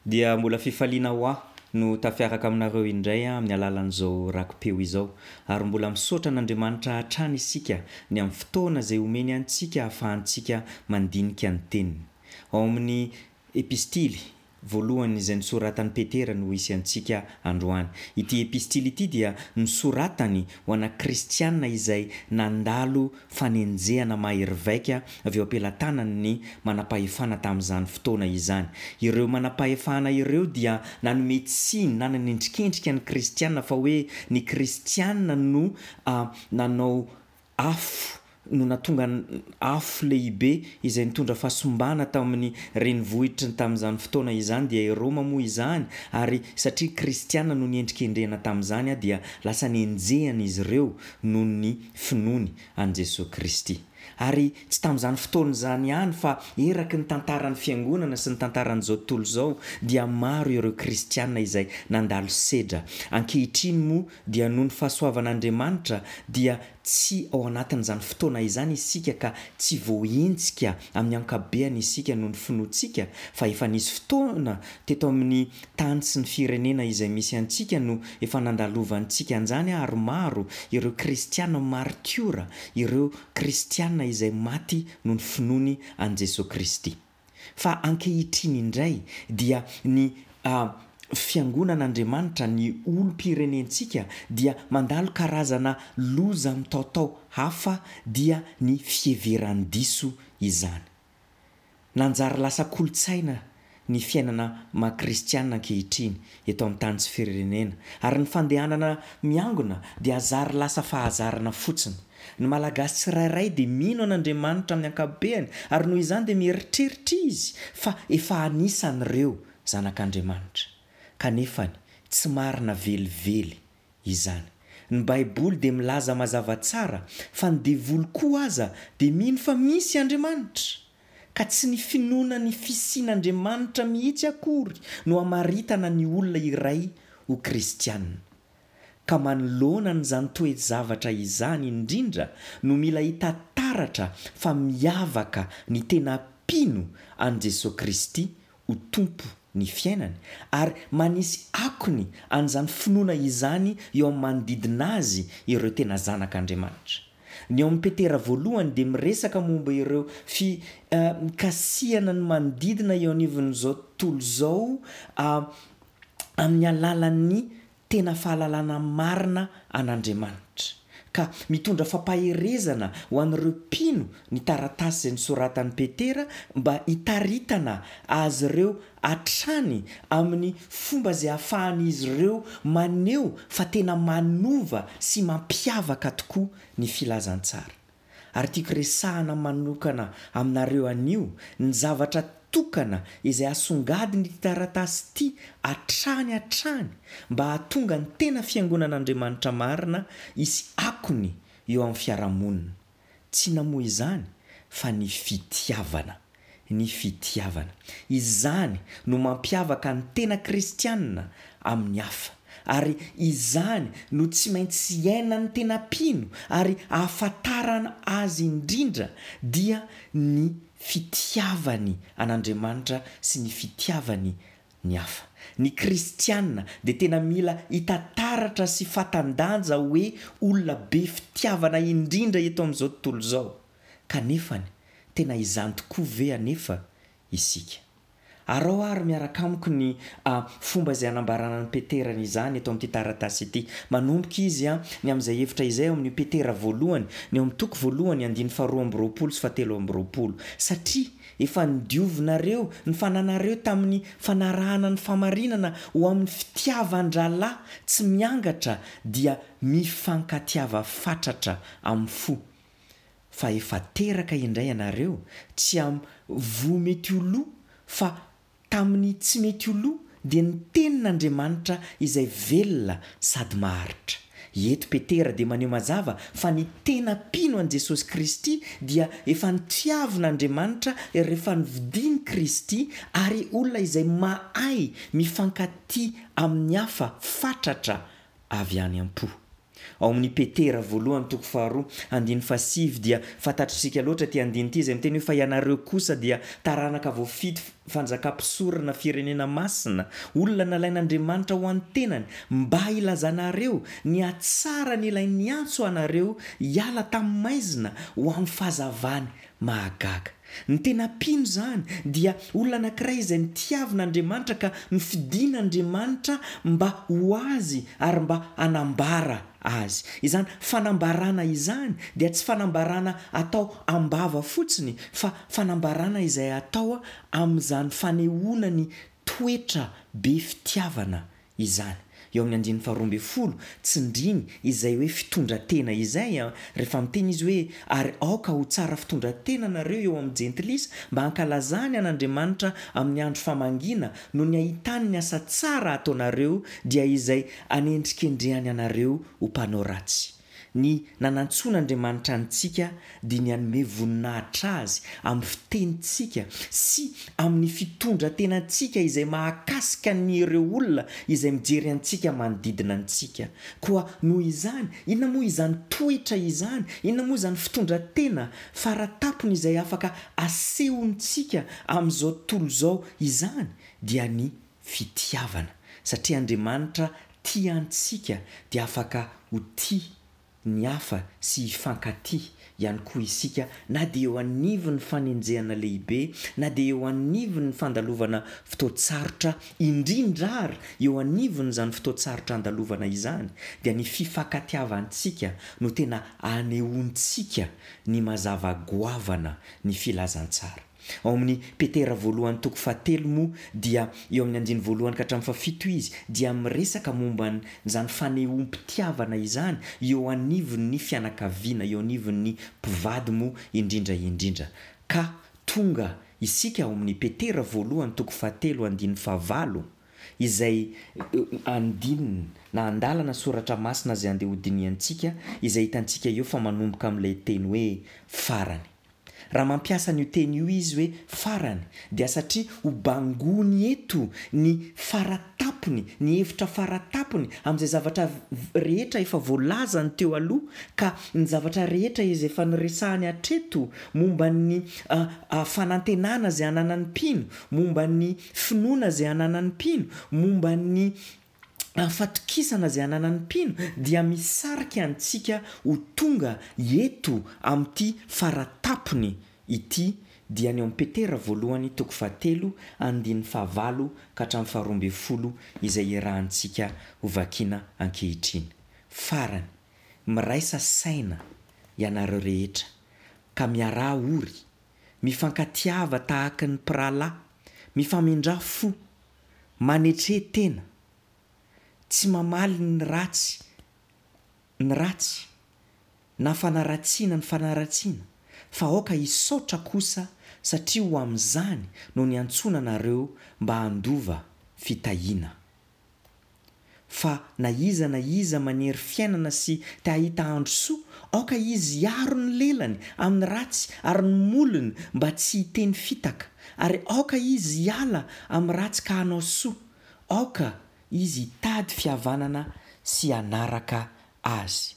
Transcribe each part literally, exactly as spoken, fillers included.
Dia mbola fifaliana ho ahy no tafiaraka aminareo indray amin'ny alalan'izao raki-peo izao. Ary mbola misaotra an'Andriamanitra hatrany isika ny amin'ny fotoana izay omeny antsika ahafahantsika mandinika ny Teniny. Ao amin'ny Epistily voalohany izay nosoratan'i Petera no hisy antsika androany. Ity epistily ity dia nosoratany ho ana kristiana izay nandalo fanenjehana mahery vaika avy eo am-pelatanan'ny manam-pahefana tamin'izany fotoana izany. Ireo manam-pahefana ireo dia nanome tsiny na nanendrikendrika ny kristiana fa hoe ny kristiana no nanao afo no nahatonga afo lehibe izay nitondra fahasimbana tamin'ny renivohitry ny tamin'izany fotoana izany dia i Roma moa izany ary satria kristiana no niendrikendrehana tamin'izany dia lasa nenjehana izy ireo noho ny finoany an'i Jesoa Kristy. Ary tsy tamin'izany fotoana izany ihany fa eraky ny tantaran'ny fiangonana sy ny tantaran'izao tontolo izao dia maro ireo kristiana izay nandalo sedra. Ankehitriny moa dia noho ny fahasoavan'Andriamanitra dia tsy ao anatin'izany fotoana izany isika ka tsy voahenjika amin'ny ankabeany isika noho ny finoantsika fa efa nisy fotoana teto amin'ny tany sy ny firenena izay misy antsika no efa nandalovantsika an'izany ary maro ireo kristiana martiora, ireo kristiana izay maty noho ny finoany an'i Jesoa Kristy. Fa ankehitriny indray dia ny Fiangonan'Andriamanitra, ny olom-pirenentsika dia mandalo karazana loza mitaotao hafa dia ny fiheveran-diso izany. Nanjary lasa kolontsaina ny fiainana maha kristiana ankehitriny eto amin'ny tany sy firenena ary ny fandehanana miangona dia zary lasa fahazarana fotsiny. Ny Malagasy tsirairay dia mino an'Andriamanitra amin'ny ankapobeany ary noho izany dia mieritreritra izy fa efa anisan'ireo zanak'Andriamanitra. Kanefany tsy marina velively izany. Ny Baiboly dia milaza mazava tsara fa ny devoly koa aza dia mino fa misy Andriamanitra. Ka tsy ny finoana ny fisian'Andriamanitra mihitsy akory no amaritana ny olona iray ho kristiana. Ka manoloana an'izany toe-javatra izany indrindra no mila hita taratra fa miavaka ny tena mpino an'i Jesoa Kristy ho Tompo ny fiainany ary manisy akony an'izany finoana izany eo amin'ny manodidina azy ireo tena zanak'Andriamanitra. Ny ao amin'ny Petera voalohany dia miresaka momba ireo fikasihana ny manodidina eo anivon'izao tontolo izao amin'ny alalan'ny tena fahalalana marina an'Andriamanitra, ka mitondra fampaherezana ho an'ireo mpino ny taratasy izay nosoratan'i Petera mba hitaritana azy ireo hatrany amin'ny fomba izay ahafahan'izy ireo maneho fa tena manova sy mampiavaka tokoa ny filazantsara. Ary tiako resahana manokana aminareo anio ny zavatra tokana izay asongadin'ity taratasy ity hatrany hatrany mba hahatonga ny tena Fiangonan'Andriamanitra marina hisy akony eo amin'ny fiarahamonina. Tsy inona moa izany fa ny fitiavana. Ny fitiavana. Izany no mampiavaka ny tena kristiana amin'ny hafa. Ary izany no tsy maintsy iainan'ny tena mpino ary ahafantarana azy indrindra dia ny fitiavany an'Andriamanitra sy ny fitiavany ny hafa. Ny kristiana dia tena mila hita taratra sy fatan-danja hoe olona be fitiavana indrindra eto amin'izao tontolo izao. Kanefany, tena izany tokoa ve anefa isika? Araho àry miaraka amiko ny fomba izay anambarana an'i Petera izany eto amin'ity taratasy ity. Manomboka izy ny amin'izay hevitra izay ao amin'ny Petera voalohany, ny ao amin'ny toko voalohany, andininy faharoa amby roapolo sy fahatelo amby roapolo. Satria efa nodiovinareo ny fananareo tamin'ny fanarahana ny fahamarinana ho amin'ny fitiavan-drahalahy tsy miangatra, dia mifankatiava fatratra amin'ny fo. Fa efa teraka indray ianareo, tsy amin'ny voa mety ho lo, fa tamin'ny tsy mety ho lo, dia ny Tenin'Andriamanitra izay velona sady maharitra. Eto Petera dia maneho mazava fa ny tena mpino an'i Jesosy Kristy dia efa notiavin'Andriamanitra rehefa novidian'i Kristy ary olona izay mahay mifankatia amin'ny hafa fatratra avy any am-po. Ao amin'ny Petera voalohany toko faharoa andininy fahasivy dia fantatr'isika loatra ity andininy ity izay miteny hoe fa ianareo kosa dia taranaka voafidy fanjakam-pisorona firenena masina, olona nalain'Andriamanitra ho an'ny tenany mba hilazanareo ny hatsarany ilay niantso anareo hiala tamin'ny maizina ho amin'ny fahazavany mahagaga. Ny tena mpino izany dia olona anankiray izay notiavin'Andriamanitra ka nofidin'Andriamanitra mba ho azy ary mba hanambara azy. Izany fanambarana izany dia tsy fanambarana atao am-bava fotsiny fa fanambarana izay atao amin'izany fanehoana ny toetra be fitiavana izany. Eo amin'ny andininy faharoa ambin'ny folo, tsindriny izay hoe fitondran-tena izay, rehefa miteny izy hoe, Ary aoka ho tsara fitondran-tena nareo eo amin'ny jentilisa, mba hankalazany an'Andriamanitra amin'ny andro famangiana, noho ny ahitany ny asa tsara ataonareo, dia izay anendrikendrehany anareo ho mpanao ratsy. Ny nanantsoan'Andriamanitra antsika dia ny hanome voninahitra Azy amin'ny fitenintsika sy amin'ny fitondra-tenantsika izay mahakasika ny ireo olona izay mijery antsika manodidina antsika. Koa noho izany, inona moa izany toetra izany? Inona moa izany fitondra-tena fara-tampony izay afaka asehontsika amin'izao tontolo izao izany? Dia ny fitiavana. Satria Andriamanitra tia antsika dia afaka ho tia ny hafa sy hifankatia ihany koa isika na dia eo anivon'ny fanenjehana lehibe, na dia eo anivon'ny fandalovana fotoan-tsarotra, indrindra ary eo anivon'izany fotoan-tsarotra andalovana izany, dia ny fifankatiavantsika no tena anehoantsika ny mazava goavana ny filazantsara. Ao amin'ny Petera voalohany toko fahatelo moa dia eo amin'ny andininy voalohany ka hatramin'ny fahafito izy dia miresaka momba an'izany fanehoam-pitiavana izany eo anivon'ny fianakaviana, eo anivon'ny mpivady moa indrindra indrindra. Ka tonga isika ao amin'ny Petera voalohany toko fahatelo andininy fahavalo izay andininy na andalana soratra masina izay andeha hodinihantsika izay hitantsika eo fa manomboka amin'ilay teny hoe farany. Raha mampiasa an'io teny io izy hoe farany dia satria ho bangoiny eto ny faratapony, ny hevitra faratapony amin'izay zavatra rehetra efa voalazany teo aloha ka ny zavatra rehetra izay efa noresahany hatreto momba ny fanantenana izay ananan'ny mpino, momba ny finoana izay ananan'ny mpino, momba ny fatokisana izay ananan'ny mpino dia misarika antsika ho tonga eto amin'ity faratapony ity dia ny ao amin'ny Petera voalohany toko fahatelo andininy fahavalo ka hatramin'ny faharoa ambin'ny folo izay iarahantsika ho vakiana ankehitriny. Farany, miraisa saina ianareo rehetra ka miaraha ory, mifankatiava tahaka ny mpirahalahy, mifamindrà fo, manetre tena, tsy mamaly ny ratsy ny ratsy na fanaratsiana ny fanaratsiana, fa aoka hisaotra kosa satria ho amin'izany no niantsoana anareo mba handova fitahiana. Fa na iza na iza manery fiainana sy te hahita andro soa, aoka izy hiaro ny lelany amin'ny ratsy ary ny molony mba tsy hiteny fitaka, ary aoka izy hiala amin'ny ratsy ka hanao soa, aoka izy hitady fihavanana sy hanaraka azy.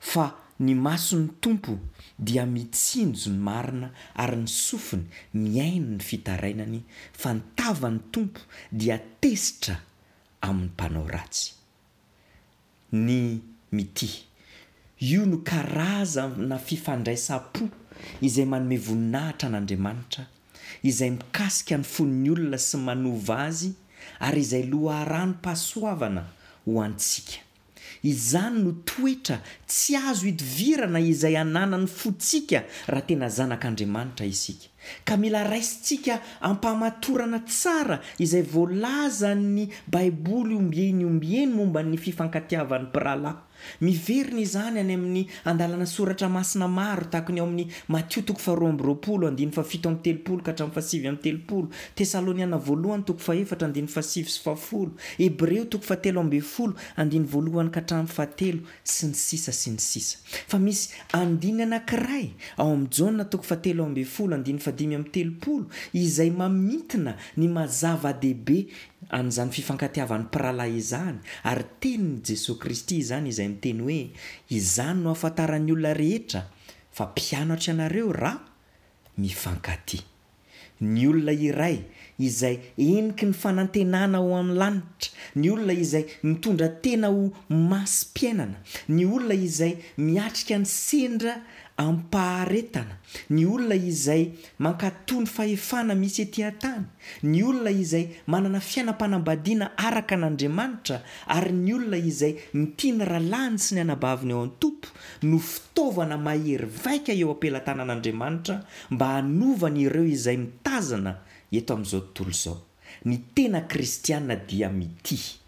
Fa ny mason'ny Tompo dia mitsinjo ny marina ary ny sofiny mihaino ny fitarainany, fa ny tavan'ny Tompo dia tezitra amin'ny mpanao ratsy. Ny mitia. Io no karazana fifandraisam-po izay manome voninahitra an'Andriamanitra, izay mikasika ny fon'ny olona sy manova azy ary izay loharanom-pahasoavana ho antsika. Izany no toetra tsy azo idivirana izay ananan'ny fontsika raha tena zanak'Andriamanitra isika. Ka mila raisintsika am-pahamatorana tsara izay voalazan'ny Baiboly ombieny ombieny momba ny fifankatiavan'ny mpirahalahy. Miverina izany any amin'ny andalana soratra masina maro, tahaka ny ao amin'ny Matio toko faharoa amby roapolo, andininy fahafito amby telopolo ka hatramin'ny fahasivy amby telopolo, Tesaloniana voalohany toko fahefatra, andininy fahasivy sy fahafolo, Hebreo toko fahatelo ambin'ny folo, andininy voalohany ka hatramin'ny fahatelo, sy ny sisa sy ny sisa. Fa misy andininy anankiray ao amin'ny Jaona toko fahatelo ambin'ny folo, andininy fahadimy amby telopolo izay mamintina ny maha zava-dehibe an'izany fifankatiavan'ny mpirahalahy izany, ary tenin'i Jesoa Kristy izany izay miteny hoe, Izany no ahafantaran'ny olona rehetra fa mpianatro ianareo raha mifankatia. Ny olona iray izay heniky ny fanantenana ho amin'ny lanitra, ny olona izay mitondra tena ho masim-piainana, ny olona izay miatrika ny sendra amim-paharetana, ny olona izay mankatò ny fahefana misy ety an-tany, ny olona izay manana fiainam-panambadiana araka an'Andriamanitra, ary ny olona izay mitia ny rahalahiny sy ny anabaviny ao an-Tompo no fitaovana mahery vaika eo am-pelatanan'Andriamanitra mba hanovany ireo izay mitazana eto amin'izao tontolo izao. Ny tena kristiana dia mitia.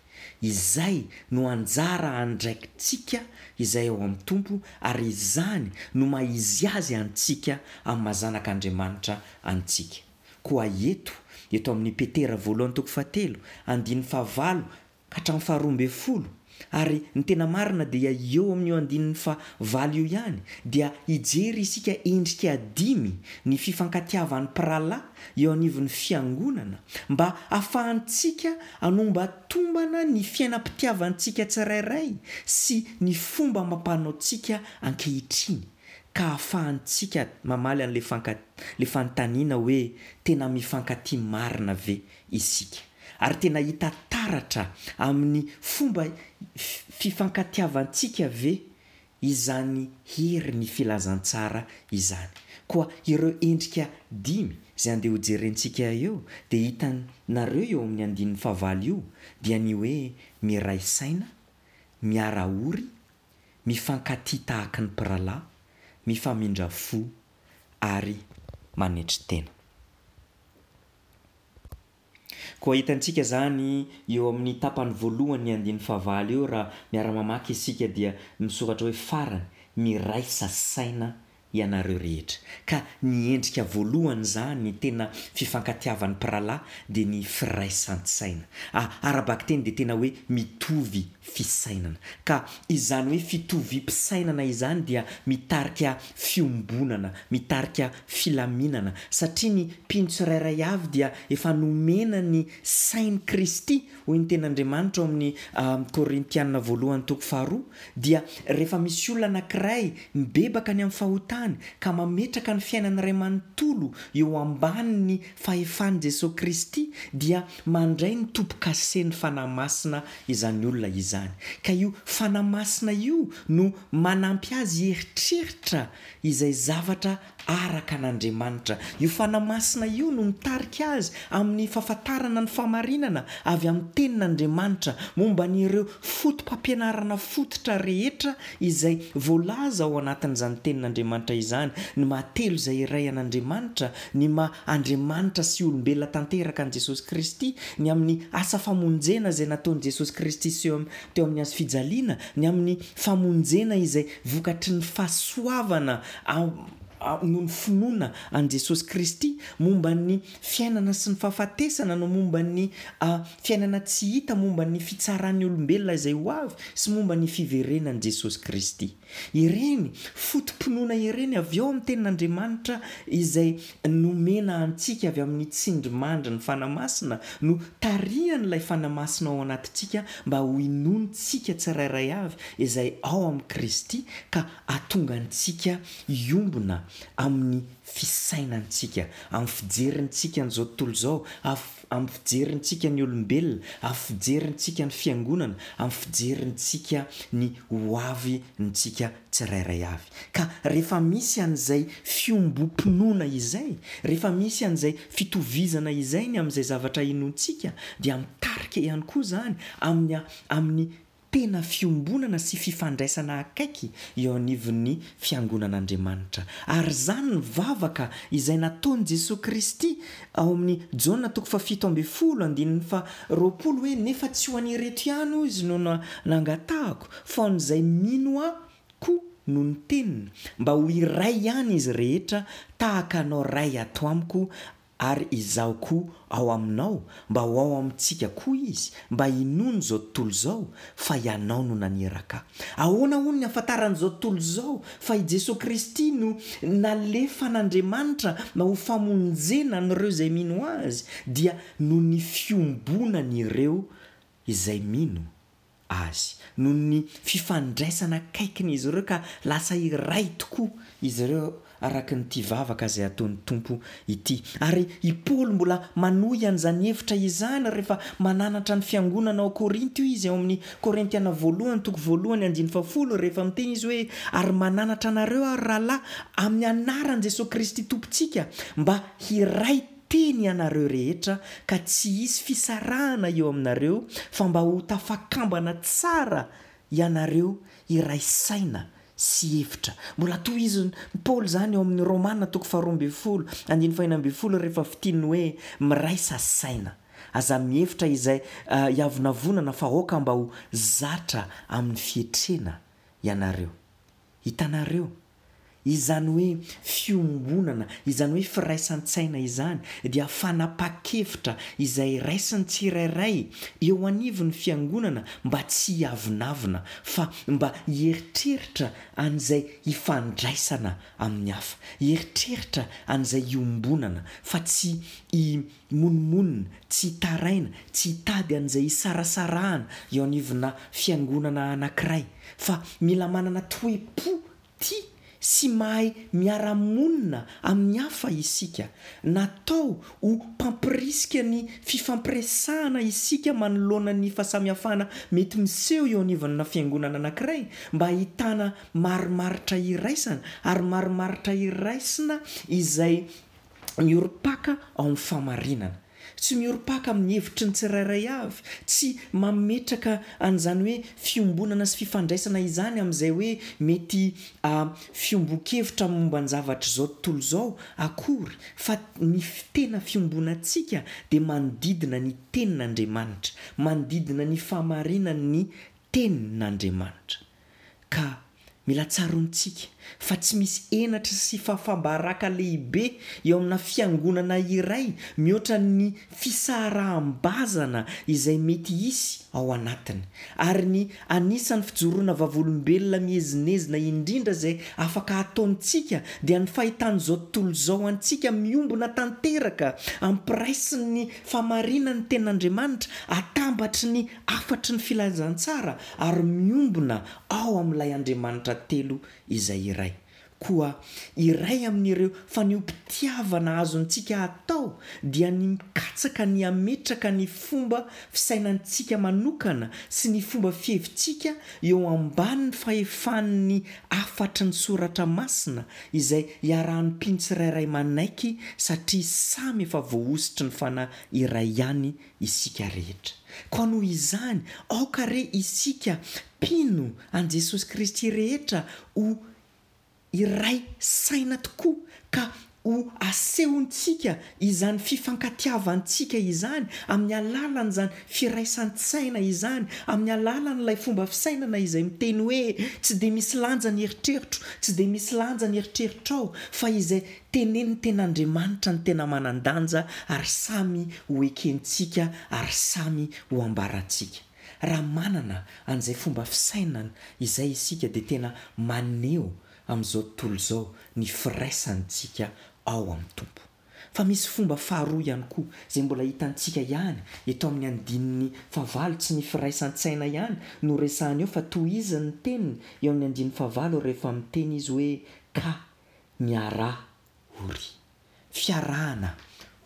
Izay no anjara andraikitsika izay ao amin'ny Tompo ary izany no maha izy azy antsika amin'ny maha zanak'Andriamanitra antsika. Koa eto, eto amin'ny Petera voalohany toko fahatelo, andininy fahavalo ka hatramin'ny faharoa ambin'ny folo, ary ny tena marina dia eo amin'io andininy fahavalo io ihany dia hijery isika endrika dimy ny fifankatiavan'ny mpirahalahy eo anivon'ny fiangonana mba hahafahantsika hanombatombana ny fiainam-pitiavantsika tsirairay sy ny fomba amam-panaontsika ankehitriny ka hahafahantsika mamaly an'ilay fanka ilay fanontaniana hoe tena mifankatia marina ve isika? Ary tena hita taratra amin'ny fomba fifankatiavantsika ve izany hery ny filazantsara izany? Koa ireo endrika dimy izay andeha hojerentsika eo dia hitanareo eo amin'ny andininy fahavalo io dia ny hoe miray saina, miara-ory, mifankatia tahaky ny mpirahalahy, mifamindra fo ary manetry tena. Koa hitantsika izany eo amin'ny tapany voalohany ny andininy fahavalo eo raha miara-mamaky isika dia misoratra hoe farany, miraisa saina ianareo rehetra. Ka ny endrika voalohany izany, ny tena fifankatiavan'ny mpirahalahy dia ny firaisan-tsaina. Ara-bakiteny dia tena hoe mitovy fisainana. Ka izany hoe fitoviam-pisainana izany dia mitarika fiombonana, mitarika filaminana, satria ny mpino tsirairay avy dia efa nomena ny sain'i Kristy, hoy ny Tenin'Andriamanitra ao amin'ny Korintiana voalohany toko faharoa, dia rehefa misy olona anankiray mibebaka ny amin'ny fahotany ka mametraka ny fiainany iray manontolo eo ambanin'ny fahefan'i Jesoa Kristy dia mandray ny tombo-kasen'ny Fanahy Masina izany olona izany. Ka io Fanahy Masina io no manampy azy hieritreritra izay zavatra araka an'Andriamanitra. Io Fanahy Masina io no mitarika azy amin'ny fahafantarana ny fahamarinana avy amin'ny Tenin'Andriamanitra momba an'ireo foto-pampianarana fototra rehetra izay voalaza ao anatin'izany Tenin'Andriamanitra izany, ny maha telo izay iray an'Andriamanitra, ny maha Andriamanitra sy olombelona tanteraka an'i Jesosy Kristy, ny amin'ny asa famonjena izay nataon'i Jesosy Kristy teo amin'ny hazo fijaliana, ny amin'ny famonjena izay vokatry ny fahasoavana noho ny finoana an'i Jesosy Kristy, momba ny fiainana sy ny fahafatesana, no momba ny fiainana tsy hita, momba ny fitsaran'ny olombelona izay ho avy, sy momba ny fiverenan'i Jesosy Kristy. Ireny foto-pinoana ireny avy ao amin'ny Tenin'Andriamanitra izay nomena antsika avy amin'ny tsindrimandry ny Fanahy Masina no tarihan'ilay Fanahy Masina ao anatintsika mba ho inoantsika tsirairay avy izay ao amin'i Kristy ka hahatonga antsika hiombona amin'ny fisainantsika, amin'ny fijerintsika an'izao tontolo izao, amin'ny fijerintsika ny olombelona, amin'ny fijerintsika ny fiangonana, amin'ny fijerintsika ny hoavintsika tsirairay avy. Ka rehefa misy an'izay fiombom-pinoana izay, rehefa misy an'izay fitovizana izay ny amin'izay zavatra inoantsika, dia mitarika ihany koa izany amin'ny amin'ny tena fiombonana sy fifandraisana akaiky eo anivon'ny Fiangonan'Andriamanitra. Ary izany ny vavaka izay nataon'i Jesoa Kristy ao amin'ny Jaona toko fahafito ambin'ny folo andininy faharoapolo hoe, Nefa tsy ho an'ireto ihany, hoy Izy, no nangatahako, fa ho an'izay mino Ahy koa noho ny teniny, mba ho iray ihany izy rehetra, tahaka Anao Ray ato amiko, ary Izaho koa ao aminao, mba ho ao amintsika koa Izy, mba hinoan'izao tontolo izao fa Ianao no naniraka Ahy. Ahoana hono ny ahafantaran'izao tontolo izao fa i Jesoa Kristy no nalefan'Andriamanitra mba ho famonjena an'ireo izay mino Azy? Dia noho ny fiombonan'ireo izay mino Azy, noho ny fifandraisana akaikin'izy ireo ka lasa iray tokoa izy ireo araka an'ity vavaka izay ataon'ny Tompo ity. Ary i Paoly mbola manohy an'izany hevitra izany rehefa mananatra ny fiangonana ao Korinto izy ao amin'ny Korintiana voalohany toko voalohany andininy fahafolo rehefa miteny izy hoe ary mananatra anareo aho ry rahalahy amin'ny anaran'i Jesoa Kristy Tompontsika mba hiray teny ianareo rehetra ka tsy hisy fisarahana eo aminareo fa mba ho tafakambana tsara ianareo hiray saina sy hevitra. Mbola tohizin'i Paoly izany ao amin'ny Romana toko faharoa ambin'ny folo, andininy fahenina ambin'ny folo rehefa fintininy hoe miraisa saina. Aza mihevitra izay hiavonavonana fa aoka mba ho zatra amin'ny fietrena ianareo. Hitanareo? Izany hoe fiombonana, izany hoe firaisan-tsaina izany dia fanapahan-kevitra izay raisin'ny tsirairay eo anivon'ny fiangonana mba tsy hiavonavona fa mba hieritreritra an'izay hifandraisana amin'ny hafa, hieritreritra an'izay hiombonana fa tsy himonomonona, tsy hitaraina, tsy hitady an'izay hisarasarahana eo anivona fiangonana anankiray fa mila manana toe-po tia sy mahay miara-monina amin'ny hafa isika. Natao ho mpampirisika ny fifampiresahana isika manoloana ny fahasamihafana mety miseho eo anivon'na fiangonana anankiray mba hahitana marimaritra iraisana ary marimaritra iraisina izay miorim-paka ao amin'ny fahamarinana. Tsy miorim-paka amin'ny hevitry ny tsirairay avy, tsy mametraka an'izany hoe fiombonana sy fifandraisana izany amin'izay hoe mety fiombon-kevitra momba ny zavatr'izao tontolo izao akory, fa ny tena fiombonantsika dia manodidina ny Tenin'Andriamanitra, manodidina ny fahamarinan'ny Tenin'Andriamanitra. Ka mila tsaroantsika fa tsy misy henatra sy fahafaham-baraka lehibe eo amina fiangonana iray mihoatra ny fisaharaham-bazana izay mety hisy ao anatiny. Ary ny anisan'ny fijoroana vavolombelona miezinezina indrindra izay afaka ataontsika dia ny fahitan'izao tontolo izao antsika miombona tanteraka ampiraisin'ny fahamarinan'ny Tenin'Andriamanitra, atambatry ny hafatry ny filazantsara ary miombona ao amin'ilay Andriamanitra telo izay iray. Koa iray amin'ireo fanehoam-pitiavana azontsika atao dia ny mikatsaka ny hametraka ny fomba fisainantsika manokana sy ny fomba fihevitsika eo ambanin'ny fahefan'ny hafatry ny Soratra Masina izay iarahan'ny mpino tsirairay manaiky satria samy efa voahosotry ny Fanahy iray ihany isika rehetra. Koa noho izany, aoka re isika mpino an'i Jesosy Kristy rehetra ho iray saina tokoa ka ho asehontsika izany fifankatiavantsika izany amin'ny alalan'izany firaisan-tsaina izany, amin'ny alalan'ilay fomba fisainana izay miteny hoe tsy dia misy lanja ny eritreritro, tsy dia misy lanja ny eritreritrao, fa izay tenenin'ny Tenin'Andriamanitra no tena manan-danja ary samy ho ekentsika ary samy ho ambarantsika. Raha manana an'izay fomba fisainana izay isika dia tena maneho amin'izao tontolo izao ny firaisantsika ao amin'ny Tompo. Fa misy fomba faharoa ihany koa izay mbola hitantsika ihany eto amin'ny andininy fahavalo, tsy ny firaisan-tsaina ihany no resahany eo fa tohizany ny teniny eo amin'ny andininy fahavalo rehefa miteny izy hoe ka miaraha ory. Fiarahana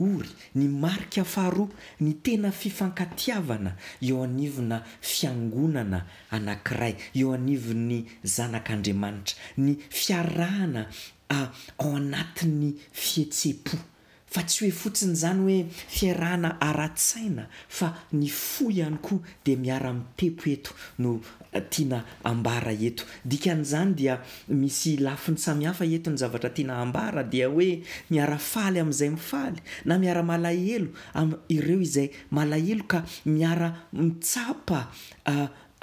ory, ny marika faharoa, ny tena fifankatiavana eo anivona fiangonana anankiray, eo anivon'ny zanak'Andriamanitra, ny fiarahana ao anatin'ny fihetseham-po. Fa tsy hoe fotsiny izany hoe fiarahana ara-tsaina fa ny fo ihany koa dia miara-mitepo eto no tiana ambara eto. Dikan'izany dia misy lafiny samihafa eto ny zavatra tiana ambara dia hoe miara-faly amin'izay mifaly na miara-malahelo amin'ireo izay malahelo ka miara-mitsapa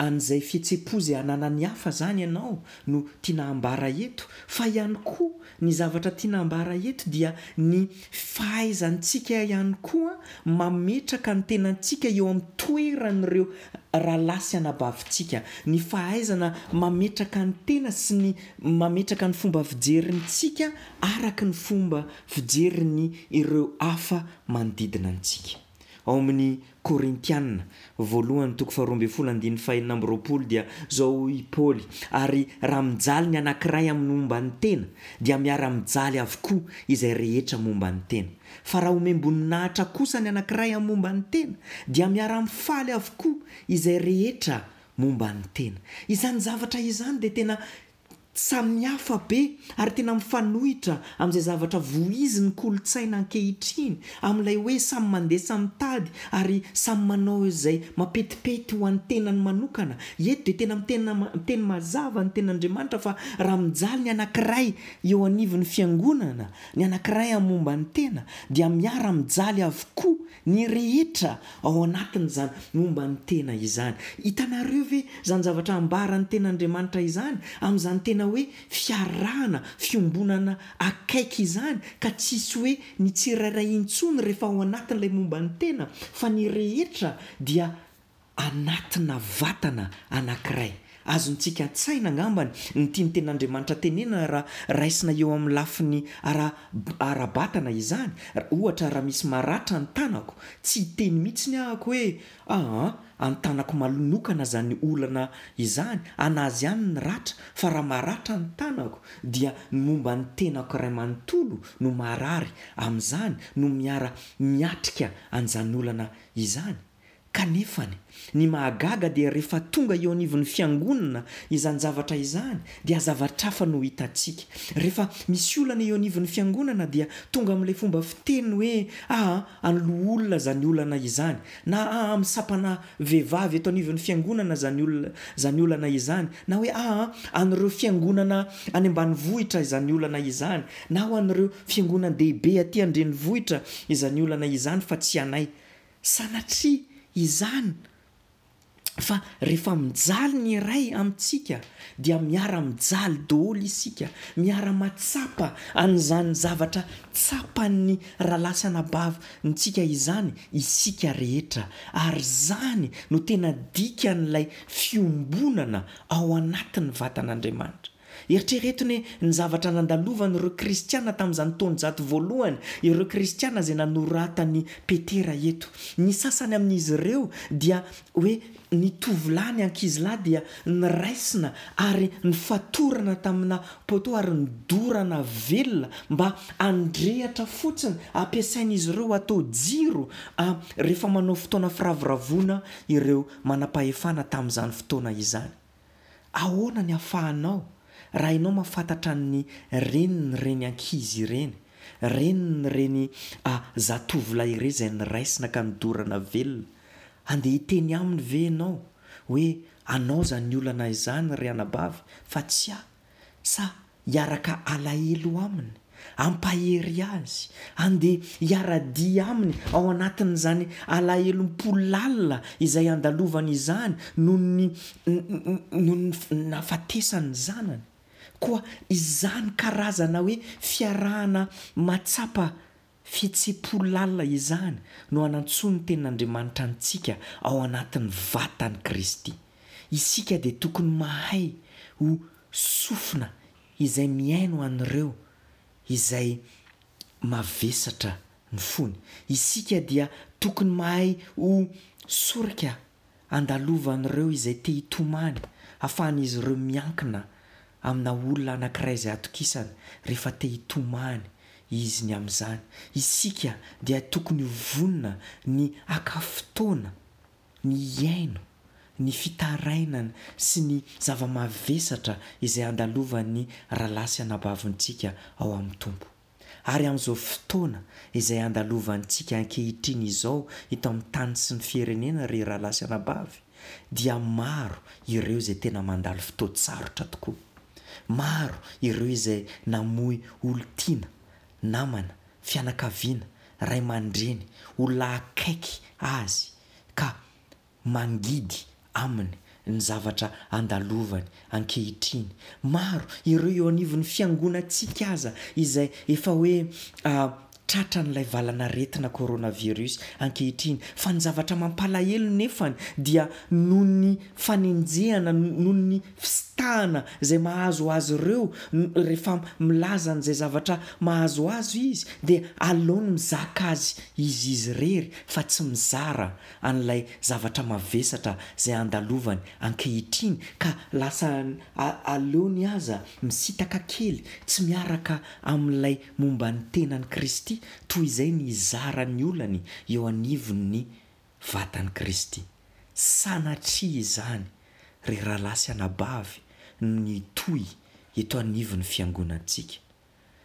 an'izay fihetsem-po izay ananan'ny hafa izany ianao no tiana hambara eto, fa ihany koa ny zavatra tiana hambara eto dia ny fahaizantsika ihany koa mametraka ny tenantsika eo amin'ny toeran'ireo rahalahy sy anabavintsika, ny fahaizana mametraka ny tena sy ny mametraka ny fomba fijerintsika araka ny fomba fijerin'ny ireo hafa manodidina antsika. Ao amin'ny Korintiana voalohany toko faharoa ambin'ny folo andininy fahenina amby roapolo dia zao hoy i Paoly, Ary raha mijaly ny anankiray amin'ny momba ny tena, dia miara-mijaly avokoa izay rehetra momba ny tena. Fa raha omem-boninahitra kosa ny anankiray amin'ny momba ny tena, dia miara-mifaly avokoa izay rehetra momba ny tena. Izany zavatra izany dia tena Samihafa be ary tena mifanohitra amin'izay zavatra voizin'ny kolontsaina ankehitriny, amin'ilay hoe samy mandeha samy mitady ary samy manao izay mampetipety ho an'ny tenany manokana. Eto dia tena mitena miteny mazava ny Tenin'Andriamanitra fa raha mijaly ny anankiray eo anivon'ny fiangonana, ny anankiray amin'ny momba ny tena, dia miara-mijaly avokoa ny rehetra ao anatin'izany momba ny tena izany. Hitanareo ve izany zavatra ambaran'ny Tenin'Andriamanitra izany amin'izany tena hoe fiarahana, fiombonana akaiky izany ka tsisy hoe ny tsirairay intsony rehefa ao anatin'ilay momba ny tena fa ny rehetra dia anatina vatana anankiray. Azontsika an-tsaina angambany ny tian'ny Tenin'Andriamanitra tenenina raha raisina eo amin'ny lafiny ara, ara-batana izany. Ohatra, raha misy maratra ny tanako, tsy hiteny mihitsiny ahako hoe, Aa, an'ny tanako malonokana izany olana izany, an'azy ihany ny ratra, fa raha maratra ny tanako, dia ny momba ny tenako iray manontolo no marary amin'izany, no miara miatrika an'izany olana izany. Kanefany, ny mahagaga dia rehefa tonga eo anivon'ny fiangonana izany zavatra izany dia zavatra hafa no hitantsika. Rehefa misy olana eo anivon'ny fiangonana dia tonga amin'ilay fomba fiteny hoe aa an'ny loholona izany olana izany na aa amin'ny sampana vehivavy eto anivon'ny fiangonana izany olona izany olana izany na hoe aa an'ireo fiangonana any ambanivohitra izany olana izany na ho an'ireo fiangonan-dehibe aty an-drenivohitra izany olana izany fa tsy anay. Sanatria izany fa rehefa mijaly ny iray amintsika dia miara-mijaly daholo isika, miara-mahatsapa an'izany zavatra tsapan'ny rahalahy sy anabavintsika izany isika rehetra, ary izany no tena dikan'ilay fiombonana ao anatin'ny vatan'Andriamanitra. Eritrereto anie ny zavatra nandalovan'ireo kristiana tamin'izany taonjato voalohany, ireo kristiana izay nanoratan'i Petera eto. Ny sasany amin'izy ireo dia hoe ny tovolahy, ny ankizilahy dia niraisina ary nifatorana tamina poteau ary nodorana velona mba handrehatra fotsiny, ampiasain'izy ireo atao jiro rehefa manao fotoana firavoravoana ireo manam-pahefana tamin'izany fotoana izany. Ahoana ny ahafahanao, raha ianao mahafantatra ny renin'ireny ankizy ireny, renin'ireny zatovolahy ireny izay niraisina ka nodorana velona, handeha hiteny aminy ve ianao hoe anao izany olana izany ry anabavy fa tsy ahy? Sa hiaraka alahelo aminy, hampahery azy, handeha hiara-dia aminy ao anatin'izany alahelom-po lalina izay andalovany izany noho ny noho ny nahafatesan'ny zanany. Koa izany karazana hoe fiarahana mahatsapa fihetseham-po lalina izany no anantsoan'ny Tenin'Andriamanitra antsika ao anatin'ny vatan'i Kristy. Isika dia tokony mahay ho sofina izay mihaino an'ireo izay mavesatra ny fony. Isika dia tokony mahay ho sorika andalovan'ireo izay te hitomany, ahafahan'izy ireo miankina amina olona anankiray izay atokisany rehefa te hitomany izy ny amin'izany. Isika dia tokony ho vonona ny haka fotoana ny hihaino ny fitarainana sy ny zava-mavesatra izay andalovan'ny rahalahy sy anabavintsika ao amin'ny Tompo. Ary amin'izao fotoana izay andalovantsika ankehitriny izao eto amin'ny tany sy ny firenena ry rahalahy sy anabavy dia maro ireo izay tena mandalo fotoan-tsarotra tokoa. Maro ireo izay namoy olon-tiana, namana, fianakaviana, ray aman-dreny, olona akaiky azy ka mangidy aminy ny zavatra andalovany ankehitriny. Maro ireo eo anivon'ny fiangonantsika aza izay efa hoe tratran'ilay valanaretina coronavirus ankehitriny. Fa ny zavatra mampalahelo nefany dia noho ny fanenjehana, noho ny fisitahana izay mahazo azy ireo, rehefa milaza an'izay zavatra mahazo azy izy dia aleony mizaka azy izy izy irery fa tsy mizara an'ilay zavatra mavesatra izay andalovany ankehitriny, ka lasa aleony aza misitaka kely tsy miaraka amin'ilay momba ny tenan'i Kristy toy izay ny hizara ny olany eo anivon'ny vatan'i Kristy. Sanatria izany, ry rahalahy sy anabavy, no hitohy eto anivon'ny fiangonantsika.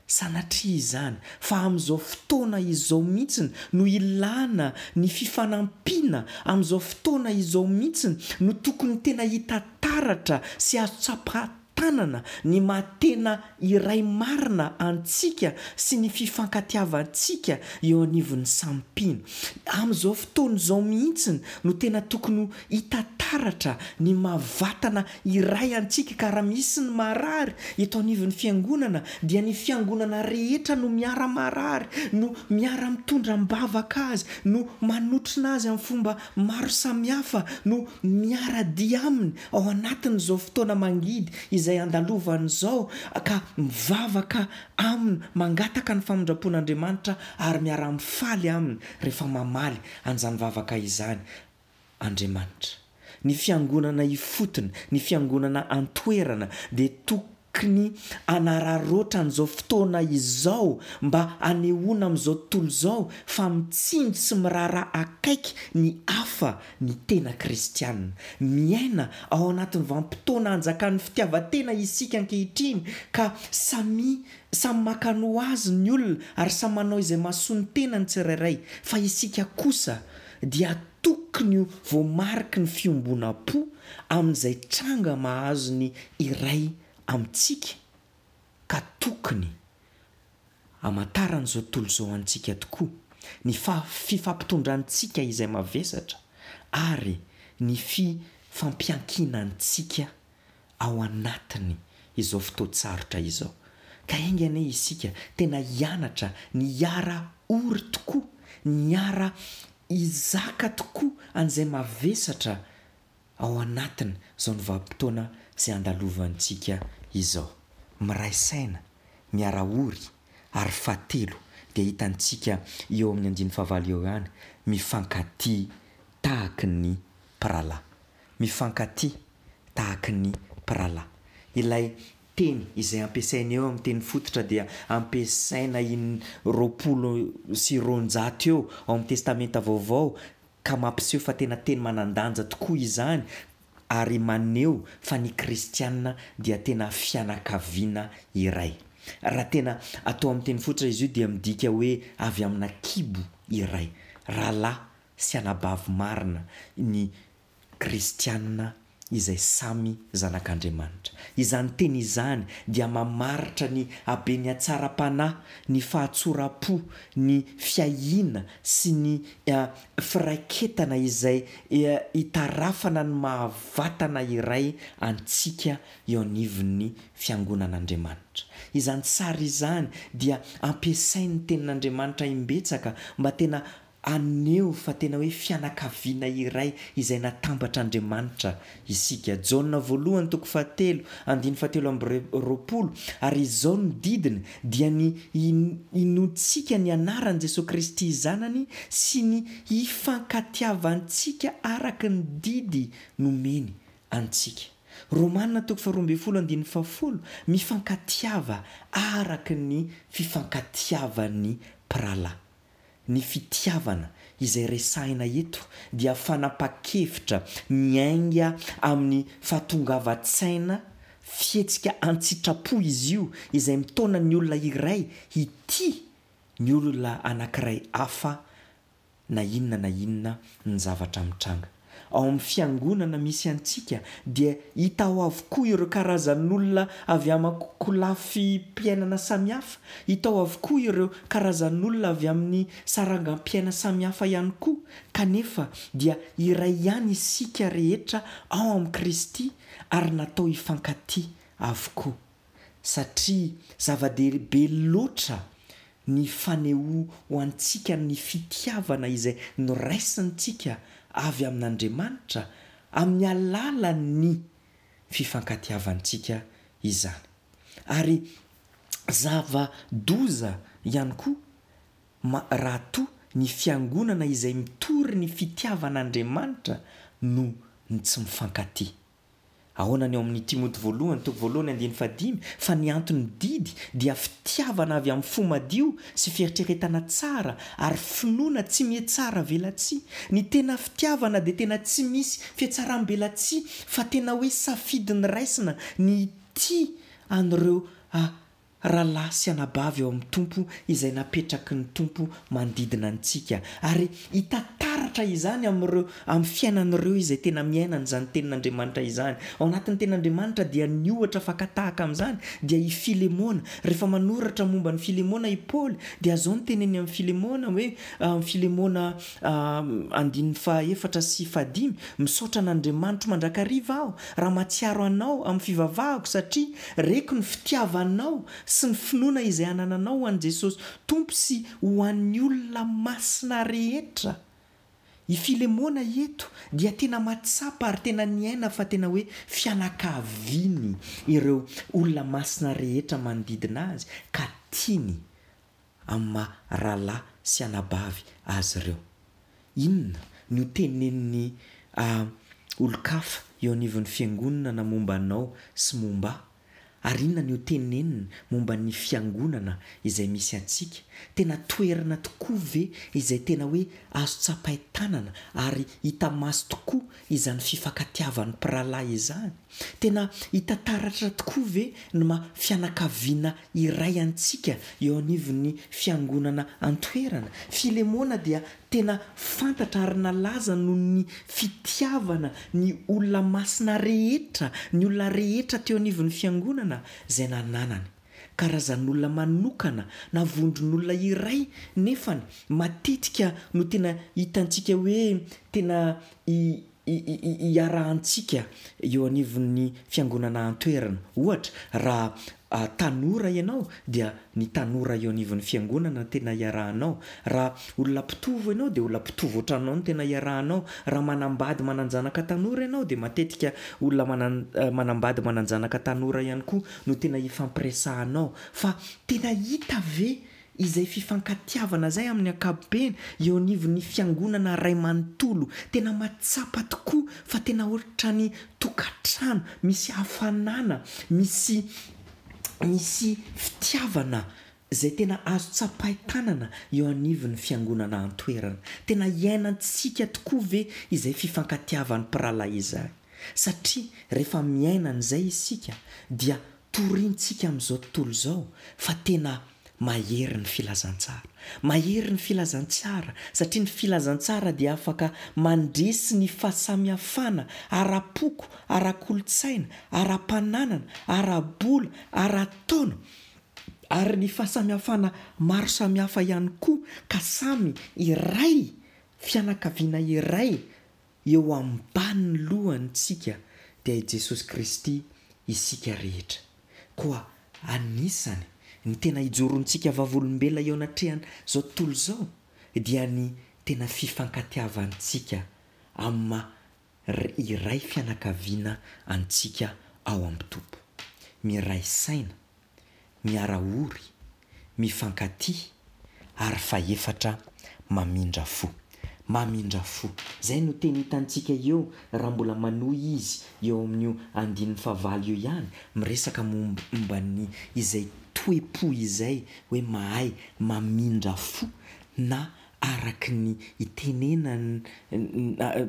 Sanatria izany, fa amin'izao fotoana izao mihitsy no ilana ny fifanampiana, amin'izao fotoana izao mihitsy no tokony tena hita taratra sy azo tsapain-tanana ny maha tena iray marina antsika sy ny fifankatiavantsika eo anivon'ny samy mpino. Amin'izao fotoana izao mihitsy no tena tokony ho hita taratra ny maha vatana iray antsika, ka raha misy ny marary eto anivon'ny fiangonana dia ny fiangonana rehetra no miara-marary, no miara-mitondra am-bavaka azy, no manotrona azy amin'ny fomba maro samihafa, no miara-dia aminy ao anatin'izao fotoana mangidy izay andalovany izao, ka mivavaka aminy, mangataka ny famindram-pon'Andriamanitra ary miara-mifaly aminy rehefa mamaly an'izany vavaka izany Andriamanitra. Ny fiangonana ifotony, ny fiangonana an-toerana dia tokony hanararaotra an'izao fotoana izao mba hanehoana amin'izao tontolo izao fa mitsinjo sy miraharaha akaiky ny hafa ny tena kristiana. Miaina ao anatin'ny vanim-potoana anjakan'ny fitiavan-tena isika ankehitriny, ka samy samy maka ny ho azy ny olona ary samy manao izay mahasoa ny tenany tsirairay, fa isika kosa dia tokony ho voamariky ny fiombonam-po amin'izay tranga mahazo ny iray amintsika, ka tokony hamantaran'izao tontolo izao antsika tokoa ny fifampitondrantsika izay mavesatra ary ny fifampiankinantsika ao anatiny izao fotoan-tsarotra izao. Ka enga anie isika tena hianatra ny hiara-ory tokoa, ny hiara-hizaka tokoa an'izay mavesatra ao anatiny izao ny vanim-potoana izay andalovantsika izao. Miray saina, miara-ory, ary fahatelo dia hitantsika eo amin'ny andininy fahavalo eo ihany, mifankatia tahaky ny mpirahalahy. Mifankatia tahaky ny mpirahalahy. Ilay teny izay ampiasaina eo amin'ny teny fototra dia ampiasaina in roapolo sy roanjato eo ao amin'ny Testamenta Vaovao, ka mampiseho fa tena teny manan-danja tokoa izany ary maneho fa ny kristiana dia tena fianakaviana iray. Raha tena atao amin'ny teny fototra izy io dia midika hoe avy amina kibo iray, rahalahy sy anabavy marina ny kristiana izay samy zanak'Andriamanitra. Izany teny izany dia mamaritra ny haben'ny hatsaram-panahy, ny fahatsoram-po, ny fiahiana sy ny firaiketana izay itarafana ny maha-vatana iray antsika eo anivon'ny fiangonan'Andriamanitra. Izany sary izany dia ampiasain'ny tenin'Andriamanitra imbetsaka mba tena haneho fa tena hoe fianakaviana iray izay natambatr'Andriamanitra isika. Jaona voalohany toko fahatelo andininy fahatelo amby roapolo, ary izao no didiny dia ny hinoantsika ny anaran'i Jesoa Kristy Zanany sy ny hifankatiavantsika araka ny didy nomeny antsika. Romana toko faharoa ambin'ny folo andininy fahafolo, mifankatiava araka ny fifankatiavan'ny mpirahalahy. Ny fitiavana izay resahina eto dia fanapahan-kevitra miainga amin'ny fahatongavan-tsaina, fihetsika an-tsitrapo izy io izay mitaona ny olona iray hitia ny olona anankiray hafa na inona na inona ny zavatra mitranga. ao amin'ny fiangonana misy antsika dia hita ao avokoa ireo karazan'olona avy aman-kolafim-piainana samihafa, hita ao avokoa ireo karazan'olona avy amin'ny sarangam-piaina samihafa ihany koa, kanefa dia iray ihany isika rehetra ao amin'i Kristy ary natao hifankatia avokoa. Satria zava-dehibe loatra ny fanehoantsika ny fitiavana izay noraisintsika avy amin'Andriamanitra amin'ny alalan'ny fifankatiavantsika izany. Ary zava-doza ihany koa ma raha toa ny fiangonana izay mitory ny fitiavan'Andriamanitra no ny tsy mifankatia. Ahoana ny ao amin'ny Timoty voalohany toko voalohany andininy fahadimy fa ny anton'ny didy dia fitiavana avy amin'ny fo madio sy fieritreretana tsara ary finoana tsy mihatsara velatsihy. Ny tena fitiavana dia tena tsy misy fihatsaram-belatsihy fa tena hoe safidy ny raisina ny hitia an'ireo rahalahy sy anabavy ao amin'ny Tompo izay napetraky ny Tompo manodidina antsika ary hita taratra izany amin'ireo amin'ny fiainan'ireo izay tena miaina an'izany tenin'Andriamanitra izany. Ao anatin'ny tenin'Andriamanitra dia ny ohatra fakatahaka amin'izany dia i Filemona. Rehefa manoratra momba ny Filemona i Paoly dia izao no teneniny amin'ny Filemona hoe Filemona andininy fahaefatra sy fahadimy, misaotra an'Andriamanitro mandrakariva aho raha mahatsiaro anao amin'ny fivavahako satria reko ny fitiavanao sy ny finoana izay anananao ho an'i Jesosy Tompo sy ho an'ny olona masina rehetra. I Filemona eto dia tena mahatsapa ary tena niaina fa tena hoe fianakaviany ireo olona masina rehetra manodidina azy ka tiany amin'ny maha rahalahy sy anabavy azy ireo. Inona no tenenin'ny olon-kafa eo anivon'ny fiangonana momba anao sy momba ahy? Ary inona no teneniny momba ny fiangonana izay misy antsika? Tena toerana tokoa ve izay tena hoe azo tsapain-tanana ary hita maso tokoa izany fifankatiavan'ny mpirahalahy izany? Tena hita taratra tokoa ve ny maha fianakaviana iray antsika eo anivon'ny fiangonana an-toerana? Filemona dia tena fantatra ary nalaza noho ny fitiavana ny olona masina rehetra, ny olona rehetra teo anivon'ny fiangonana izay nananany. Karazan'olona manokana na vondron'olona iray nefany matetika no tena hitantsika hoe tena iarahantsika eo anivon'ny fiangonana an-toerana. Ohatra, raha tanora ianao dia ny tanora eo anivon'ny fiangonana no tena iarahanao. Raha olona mpitovo ianao dia olona mpitovo ohatranao no tena iarahanao. Raha manambady manan-janaka tanora ianao dia matetika olona manan- manambady manan-janaka tanora ihany koa no tena ifampiresahanao. Fa tena hita ve izay fifankatiavana izay amin'ny ankapobeny eo anivon'ny fiangonana iray manontolo? Tena mahatsapa tokoa fa tena ohatran'ny tokantrano, misy hafanana, misy misy fitiavana izay tena azo tsapain-tanana eo anivon'ny fiangonana an-toerana. Tena iainantsika tokoa ve izay fifankatiavan'ny mpirahalahy izay? Satria rehefa miaina an'izay isika dia torintsika amin'izao tontolo izao fa tena mahery ny filazantsara. Mahery ny filazantsara satria ny filazantsara dia afaka mandresy ny fahasamihafana ara-poko, ara-kolontsaina, ara-pananana, ara-bola, ara-taona ary ny fahasamihafana maro samihafa ihany koa ka samy iray, fianakaviana iray eo ambanin'ny lohantsika dia i Jesosy Kristy isika rehetra. Koa anisany ny tena hijorontsika vavolombelona eo anatrehan'izao tontolo izao dia ny tena fifankatiavantsika amin'ny maha iray fianakaviana antsika ao amin'ny Tompo. Miray saina, miara-ory, mifankatia ary fahefatra mamindra fo. Mamindra fo. Izay no teny hitantsika eo raha mbola manohy izy eo amin'io andininy fahavalo io ihany, miresaka momba ny izay toe-po izay hoe mahay mamindra fo na araka ny itenenany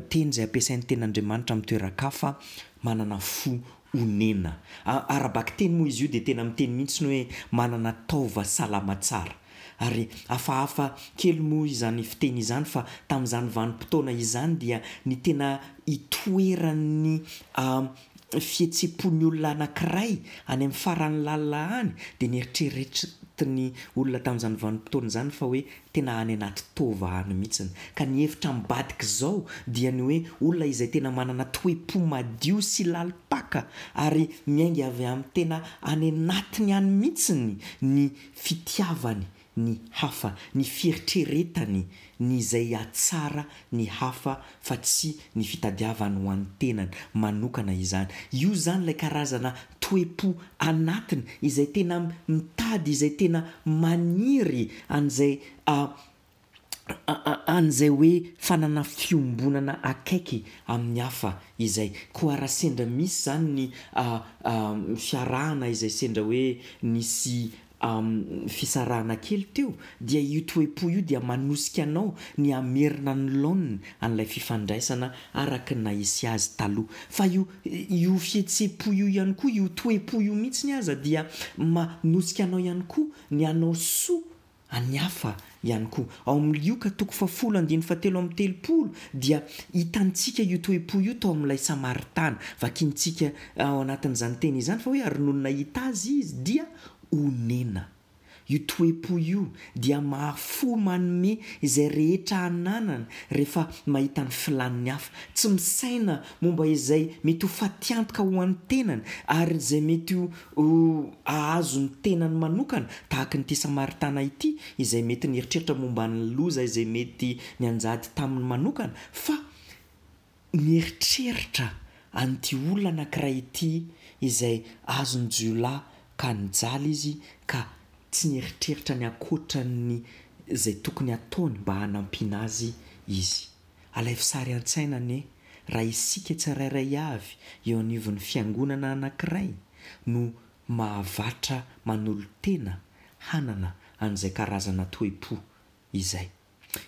teny izay ampiasain'ny tenin'Andriamanitra amin'ny toeran-kafa, manana fo onena. Ara-bakiteny moa izy io dia tena miteny mihitsy ny hoe manana taova salama tsara. Ary hafahafa kely moa izany fiteny izany fa tamin'izany vanim-potoana izany dia ny tena itoeran'ny fihetseham-pon'ny olona anankiray any amin'ny farany lalina any dia nieritreretin'ny olona tamin'izany vanim-potoana izany fa hoe tena any anaty taova any mihitsiny. Ka ny hevitra ambadik'izao dia ny hoe olona izay tena manana toe-po madio sy lalim-paka ary miainga avy amin'ny tena any anatiny any mihitsiny ny fitiavany ny hafa, ny fieritreretany ny izay hahatsara ny hafa fa tsy ny fitadiavany ho an'ny tenany manokana izany. Io izany ilay karazana toe-po anatiny izay tena mitady, izay tena maniry an'izay an'izay hoe fanana fiombonana akaiky amin'ny hafa izay. Koa raha sendra misy izany ny fiarahana izay sendra hoe nisy fisarahana kely teo dia io toe-po io dia manosika anao ny hamerina ny laoniny an'ilay fifandraisana araka ny nahisy azy taloha. Fa io io fihetseham-po io ihany koa, io toe-po io mihitsiny aza dia manosika anao ihany koa ny hanao soa an'ny hafa ihany koa. Ao amin'ny Lioka toko fahafolo andininy fahatelo amby telopolo dia hitantsika io toe-po io tao amin'ilay Samaritana. Vakintsika ao anatin'izany teny izany fa hoe ary nony nahita azy izy dia onena. Io toe-po io dia mahafoy manome izay rehetra ananany rehefa mahita ny filàn'ny hafa. Tsy misaina momba izay mety ho fatiantoka ho an'ny tenany ary izay mety ho hahazo ny tenany manokana, tahaka an'ity Samaritana ity izay mety nieritreritra momba ny loza izay mety nianjady taminy manokana, fa nieritreritra an'ity olona anankiray ity izay azon'ny jiolahy ka nijaly izy ka tsy nieritreritra ny ankoatran'ny izay tokony hataony mba hanampiana azy izy. Alaivo sary an-tsaina anie raha isika tsirairay avy eo anivon'ny fiangonana anankiray no mahavatra manolo-tena hanana an'izay karazana toe-po izay.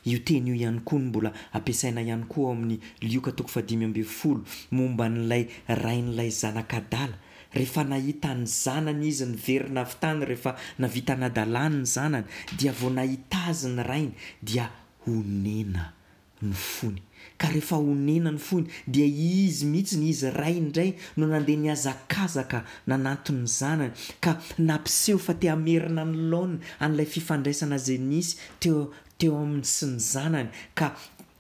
Io teny io ihany koa no mbola ampiasaina ihany koa ao amin'ny Lioka toko fahadimy ambin'ny folo momba an'ilay rain'ilay zanak'adala. Rehefa nahita ny zanany izy niverina avy tany rehefa navita nadalany ny zanany dia vao nahita azy ny rainy dia honena ny fony. Ka rehefa honena ny fony dia izy mihitsy, izy ray indray no nandeha nihazakazaka nanantona ny zanany ka nampiseho fa te hamerina ny laoniny an'ilay fifandraisana izay nisy teo teo aminy sy ny zanany ka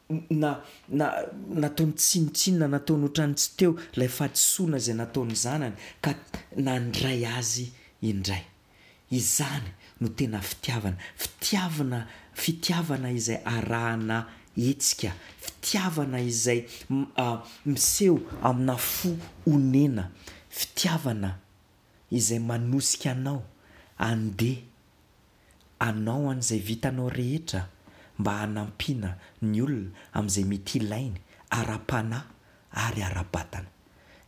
na na nataony tsinontsinona, nataony ohatran'ny tsy teo ilay fahadisoana izay nataon'ny zanany ka nandray azy indray. Izany no tena fitiavana. Fitiavana, fitiavana izay arahana hetsika, fitiavana izay miseho amina fo onena, fitiavana izay manosika anao handeha hanao an'izay vitanao rehetra mba hanampiana ny olona amin'izay mety ilainy ara-panahy ary ara-batana.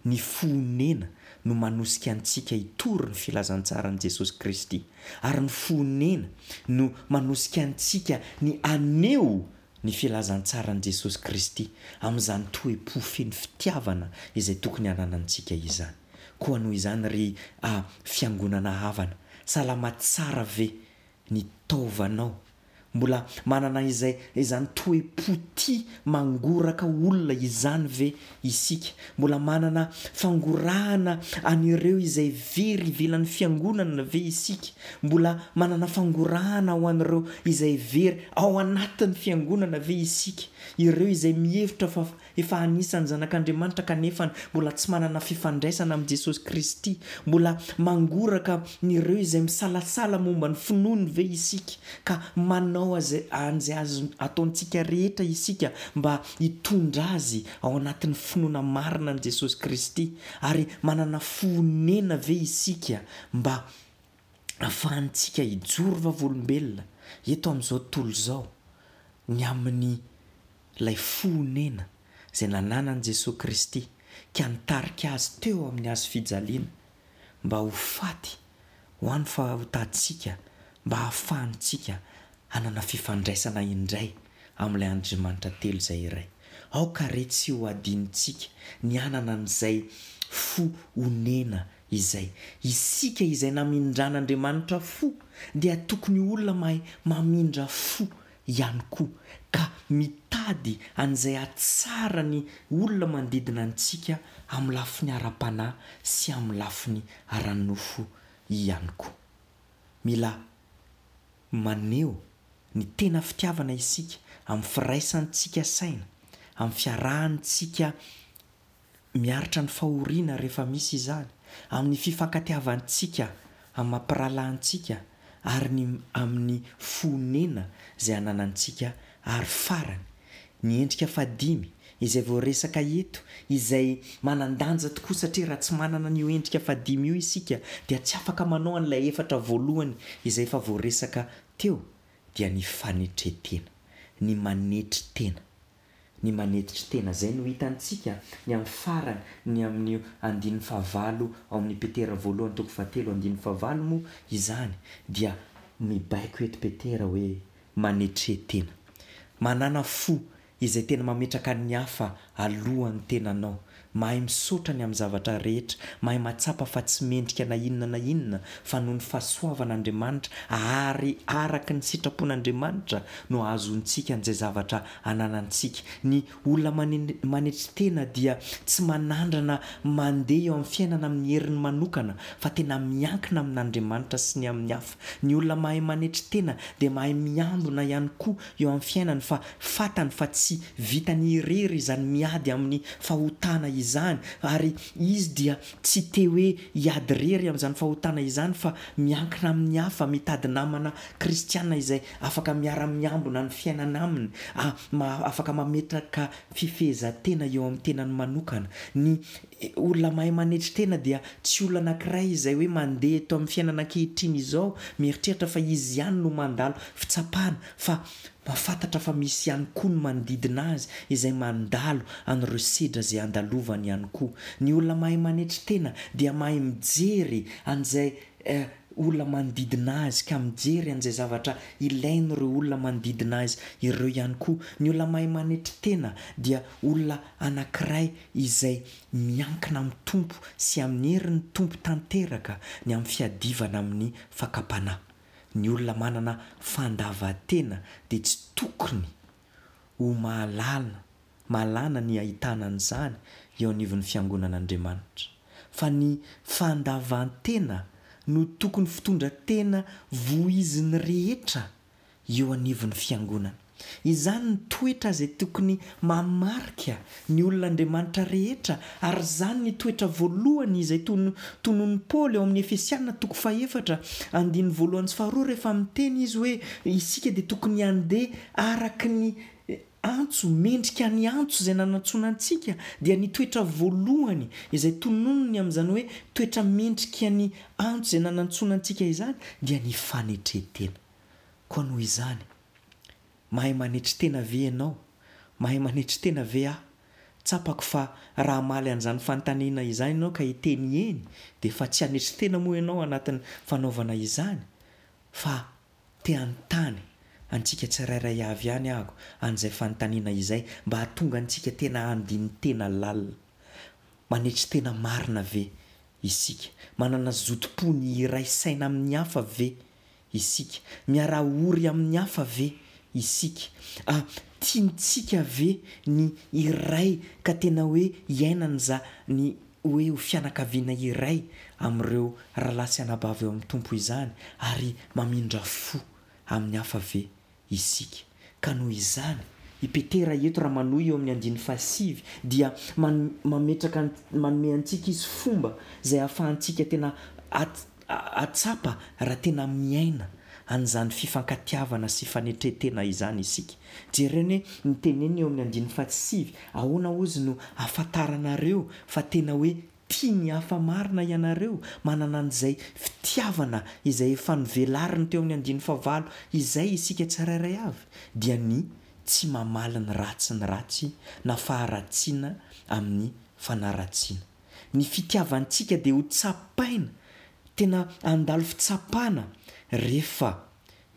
Ny fo onena no manosika antsika hitory ny filazantsaran'i Jesosy Kristy, ary ny fo onena no manosika antsika ny haneho ny filazantsaran'i Jesosy Kristy amin'izany toe-po feno fitiavana izay tokony hananantsika izany. Koa noho izany ry fiangonana havana, salama tsara ve ny taovanao? Mbola manana izay izany toe-po tia mangoraka olona izany ve isika? Mbola manana fangorahana an'ireo izay very ivelan'ny fiangonana ve isika? Mbola manana fangorahana ho an'ireo izay very ao anatin'ny fiangonana ve isika? Ireo izay mihevitra fa efa anisan'ny zanak'Andriamanitra kanefa mbola tsy manana fifandraisana amin'i Jesosy Kristy. Mbola mangoraka an'ireo izay misalasala momba ny finoany ve isika ka manao azy an'izay azo ataontsika rehetra isika mba hitondra azy ao anatin'ny finoana marina an'i Jesosy Kristy? Ary manana fo honena ve isika mba ahafahantsika hijoro vavolombelona eto amin'izao tontolo izao ny amin'ny ilay fo honena izay nananan'i Jesoa Kristy ka nitarika Azy teo amin'ny hazo fijaliana mba ho faty ho an'ny fahotantsika mba hahafahantsika hanana fifandraisana indray amin'ilay Andriamanitra telo izay iray. Aoka re tsy ho adinontsika ny hanana an'izay fo honena izay. Isika izay namindran'Andriamanitra fo dia tokony ho olona mahay mamindra fo ihany koa, ka mitady an'izay hahatsara ny olona manodidina antsika amin'ny lafiny ara-panahy sy amin'ny lafiny ara-nofo ihany koa. Mila maneho ny tena fitiavana isika amin'ny firaisantsika saina, amin'ny fiarahantsika miaritra ny fahoriana rehefa misy izany, amin'ny fifankatiavantsika amin'ny maha mpirahalahy antsika ary ny amin'ny fonena izay ananantsika ary farany, ny endrika fahadimy izay voaresaka eto izay manan-danja tokoa satria raha tsy manana an'io endrika fahadimy io isika dia tsy afaka manao an'ilay efatra voalohany izay efa voaresaka teo dia ny fanetren-tena, ny manetry tena. Ny manetry tena. Izay no hitantsika ny amin'ny farany, ny amin'io andininy fahavalo ao amin'ny Petera voalohany toko fahatelo andininy fahavalo moa izany dia mibaiko eto Petera hoe manetre tena. Manàna fo izay tena mametraka ny hafa alohan'ny tenanao. Mahay misaotra ny amin'ny zavatra rehetra, mahay mahatsapa fa tsy mendrika na inona na inona fa noho ny fahasoavan'Andriamanitra ary araka ny sitrapon'Andriamanitra no ahazoantsika an'izay zavatra ananantsika. Ny olona manetry tena dia tsy manandrana mandeha eo amin'ny fiainana amin'ny heriny manokana fa tena miankina amin'Andriamanitra sy ny amin'ny hafa. Ny olona mahay manetry tena dia mahay miambina ihany koa eo amin'ny fiainany fa fantany fa tsy vitany irery izany miady amin'ny fahotana izany ary izy dia tsy te hoe hiady irery amin'izany fahotana izany fa miankina amin'ny hafa, mitady namana kristiana izay afaka miara-miambina ny fiainana aminy, afaka mametraka fifehezan-tena eo amin'ny tenany manokana. Ny olona mahay manetry tena dia tsy olona anankiray izay hoe mandeha eto amin'ny fiainana ankehitriny izao mieritreritra fa izy ihany no mandalo fitsapana fa mahafantatra fa misy ihany koa ny manodidina azy izay mandalo an'ireo sedra izay andalovany ihany koa. Ny olona mahay manetry tena dia mahay mijery an'izay olona manodidina azy ka mijery an'izay zavatra ilain'ireo olona manodidina azy ireo ihany koa. Ny olona mahay manetry tena dia olona anankiray izay miankina amin'ny Tompo sy amin'ny herin'ny Tompo tanteraka ny amin'ny fiadivana amin'ny fakam-panahy. Ny olona manana fandavan-tena dia tsy tokony ho mahalala mahalana ny ahitana an'izany eo anivon'ny fiangonan'Andriamanitra. Fa ny fandavan-tena no tokony fitondran-tena voizin'ny rehetra eo anivon'ny fiangonana. Izany ny toetra izay tokony mamarika ny olon'Andriamanitra rehetra, ary izany ny toetra voalohany izay tononin'i Paoly ao amin'ny Efesiana toko fahefatra andininy voalohany sy faharoa rehefa miteny izy hoe isika dia tokony handeha araka ny antso, mendrika ny antso izay nanantsoana antsika, dia ny toetra voalohany izay tononiny amin'izany hoe toetra mendrika ny antso izay nanantsoana antsika izany dia ny fanetren-tena. Koa noho izany, mahay manetry tena ve ianao? Mahay manetry tena ve aho? Tsapako fa raha hamaly an'izany fanontaniana izany ianao ka hiteny eny, dia efa tsy hanetry tena moa ianao anatin'ny fanaovana izany, fa te hanontany antsika tsirairay avy ihany aho an'izay fanontaniana izay mba hahatonga antsika tena handini-tena lalina. Manetry tena marina ve isika? Manana zotom-po ny hiray saina amin'ny hafa ve isika? Miara-ory amin'ny hafa ve isika? A, tiantsika ve ny hiray ka tena hoe hiainana izany hoe ho fianakaviana iray amin'ireo rahalahy sy anabavy ao amin'ny Tompo izany ary mamindra fo amin'ny hafa ve isika? Ka noho izany, i Petera eto raha manohy eo amin'ny andininy fahasivy dia mametraka manome antsika izy fomba izay ahafahantsika tena hahatsapa raha tena miaina an'izany fifankatiavana sy fanetren-tena izany isika. Jereo anie ny teneniny eo amin'ny andininy fahasivy, ahoana hozy no ahafantaranareo fa tena hoe tia ny hafa marina ianareo, manana an'izay fitiavana izay efa novelariny teo amin'ny andininy fahavalo izay isika tsirairay avy, dia ny tsy mamaly ny ratsy ny ratsy na faharatsiana amin'ny fanaratsiana. Ny fitiavantsika dia ho tsapaina, tena handalo fitsapana rehefa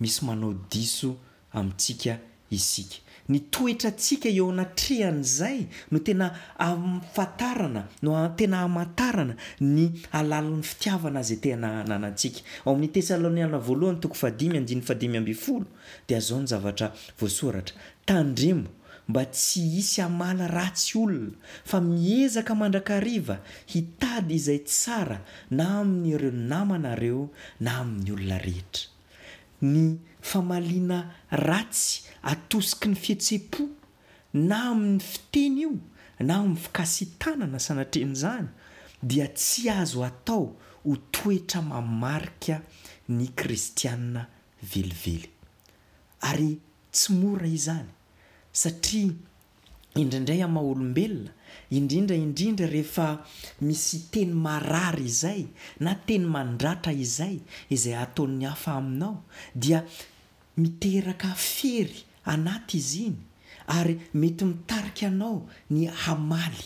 misy manao diso amintsika isika. Ny toetrantsika eo anatrehan'izay no tena ahafantarana, no tena hamantarana ny halalin'ny fitiavana izay tena ananantsika. Ao amin'ny Tesaloniana voalohany toko fahadimy andininy fahadimy ambin'ny folo dia izao ny zavatra voasoratra, Tandremo mba tsy hisy hamaly ratsy olona, fa miezaka mandrakariva hitady izay tsara na amin'ireo namanareo na amin'ny olona rehetra. Ny famaliana ratsy atosiky ny fihetseham-po, na amin'ny fiteny io na amin'ny fikasi-tanana sanatrian'izany, dia tsy azo atao ho toetra mamarika ny kristiana velively. Ary tsy mora izany, satria indraindray amin'ny maha olombelona, indrindra indrindra rehefa misy teny marary izay na teny mandratra izay, izay ataon'ny hafa aminao, dia miteraka fery anaty izy iny ary mety mitarika anao ny hamaly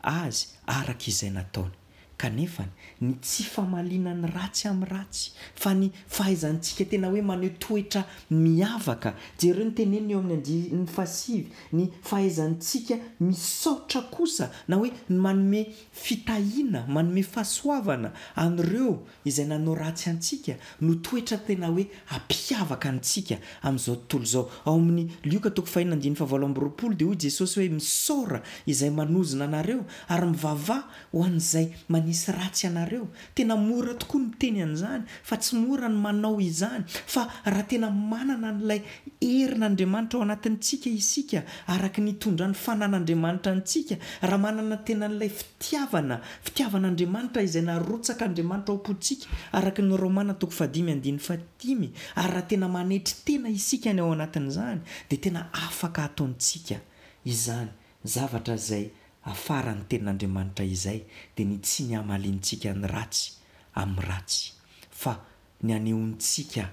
azy araka izay nataony. Kanefa ny tsy famaliana ny ratsy amin'ny ratsy, fa ny fahaizantsika tena hoe maneho toetra miavaka, jereo ny teneniny eo amin'ny andininy fahasivy, ny fahaizantsika misaotra kosa, na hoe ny manome fitahiana, manome fahasoavana an'ireo izay nanao ratsy antsika, no toetra tena hoe hampiavaka antsika amin'izao tontolo izao. Ao amin'ny Lioka toko fahenina andininy fahavalo amby roapolo dia hoy Jesosy hoe, Misaora izay manozona anareo, ary mivavaha ho an'izay manisy ratsy anareo. Tena mora tokoa ny miteny an'izany, fa tsy mora ny manao izany. Fa raha tena manana an'ilay herin'Andriamanitra ao anatintsika isika, araka ny itondran'ny fanan'Andriamanitra antsika, raha manana tena an'ilay fitiavana, fitiavan'Andriamanitra izay narotsak'Andriamanitra ao am-pontsika, araka ny Romana toko fahadimy andininy fahadimy, ary raha tena manetry tena isika ny ao anatin'izany, dia tena afaka ataontsika izany zavatra izay afaran'ny tenin'Andriamanitra izay, dia ny tsy ny hamaliantsika ny ratsy amin'ny ratsy, fa ny hanehoantsika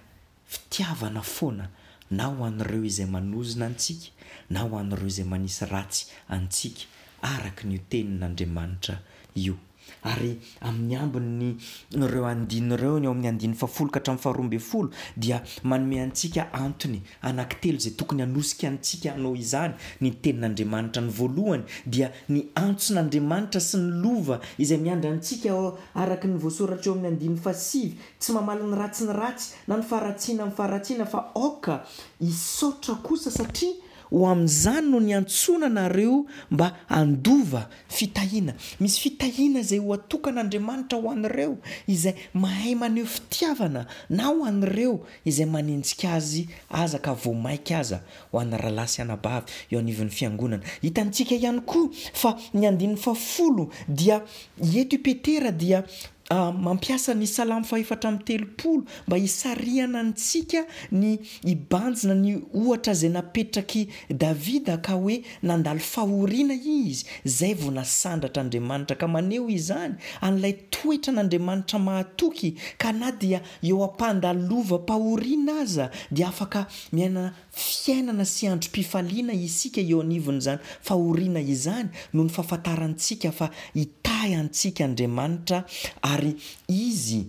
fitiavana foana na ho an'ireo izay manozona antsika na ho an'ireo izay manisy ratsy antsika, araka ny io tenin'Andriamanitra io. Ary amin'ny ambin'ny ireo andininy ireo, ny ao amin'ny andininy fahafolo ka hatramin'ny faharoa ambin'ny folo, dia manome antsika antony anankitelo izay tokony hanosika antsika hanao izany ny tenin'Andriamanitra. Ny voalohany dia ny antson'Andriamanitra sy ny lova izay miandry antsika araka ny voasoratra eo amin'ny andininy fahasivy, tsy mamaly ny ratsy ny ratsy na ny faharatsiana amin'ny faharatsiana, fa aoka hisaotra kosa, satria ho amin'izany no niantsoana anareo mba handova fitahiana. Misy fitahiana izay ho atokan'Andriamanitra ho an'ireo izay mahay maneho fitiavana, na ho an'ireo izay manenjika azy aza ka vao maika aza ho an'ny rahalahy sy anabavy eo anivon'ny fiangonana. Hitantsika ihany koa fa ny andininy fahafolo dia eto i Petera dia mampiasa ny Salamo fahefatra amby telopolo mba hisarihana antsika ny hibanjina ny ohatra izay napetrak'i Davida ka hoe nandalo fahoriana izy izay vao nasandratra Andriamanitra, ka maneho izany an'ilay toetran'Andriamanitra mahatoky ka na dia eo am-pandalovam-pahoriana aza dia afaka miaina fiainana sy androm-pifaliana isika eo anivon'izany fahoriana izany noho ny fahafantarantsika fa hitahy antsika Andriamanitra ary Izy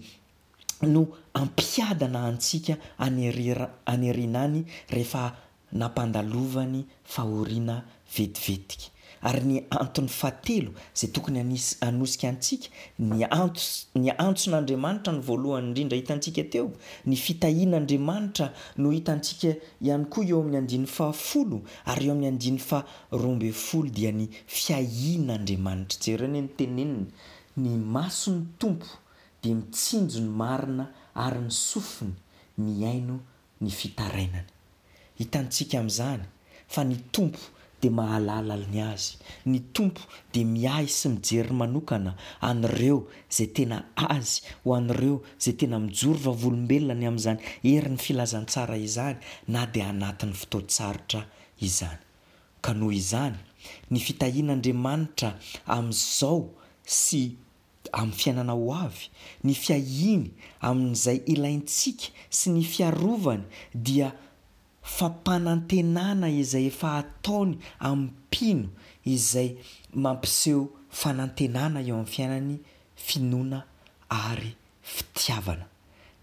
no hampiadana antsika any aoriana any rehefa nampandalovany fahoriana vetivetika. Ary ny antony fahatelo izay tokony hanisy hanosika antsika, ny antos ny antson'Andriamanitra no voalohany indrindra hitantsika teo, ny fitahian'Andriamanitra no hitantsika ihany koa eo amin'ny andininy fahafolo, ary eo amin'ny andininy faharoa ambin'ny folo dia ny fiahian'Andriamanitra. Jereo anie ny teneniny, ny mason'ny Tompo dia mitsinjo ny marina ary ny sofiny mihaino ny fitarainany. Hitantsika amin'izany fa ny Tompo dia mahalala ny azy. Ny Tompo dia miahy sy mijery manokana an'ireo izay tena Azy, ho an'ireo izay tena mijoro vavolombelona ny amin'izany herin'ny filazantsara izany na dia anatin'ny fotoan-tsarotra izany. Ka noho izany, ny fitahian'Andriamanitra amin'izao sy amin'ny fiainana ho avy, ny fiahiany amin'izay ilaintsika sy ny fiarovany dia fampanantenana izay efa ataony amin'ny mpino izay mampiseho fanantenana eo amin'ny fiainany, finoana ary fitiavana.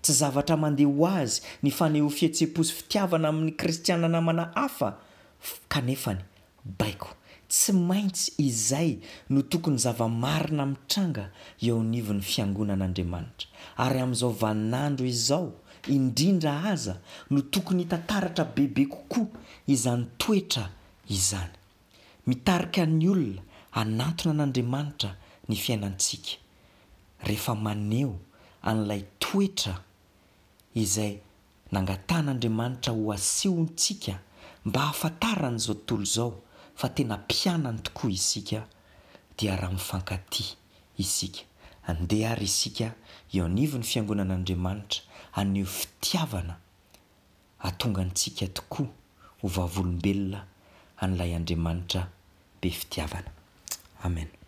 Tsy zavatra mandeha ho azy ny fanehoa fihetseham-po sy fitiavana amin'ny kristiana namana hafa kanefany baiko. Tsy maintsy izay no tokony zava-marina mitranga eo anivon'ny fiangonan'Andriamanitra. Ary amin'izao vaninandro izao indrindra aza no tokony hita taratra bebe kokoa izany toetra izany. Mitarika ny olona hanantona an'Andriamanitra ny fiainantsika rehefa maneho an'ilay toetra izay nangatahan'Andriamanitra ho asehontsika mba hahafantaran'izao tontolo izao fa tena mpianany tokoa isika, dia raha mifankatia isika. Andeha ary isika eo anivon'ny fiangonan'Andriamanitra haneho fitiavana hahatonga antsika tokoa ho vavolombelona an'ilay Andriamanitra be fitiavana. Amen.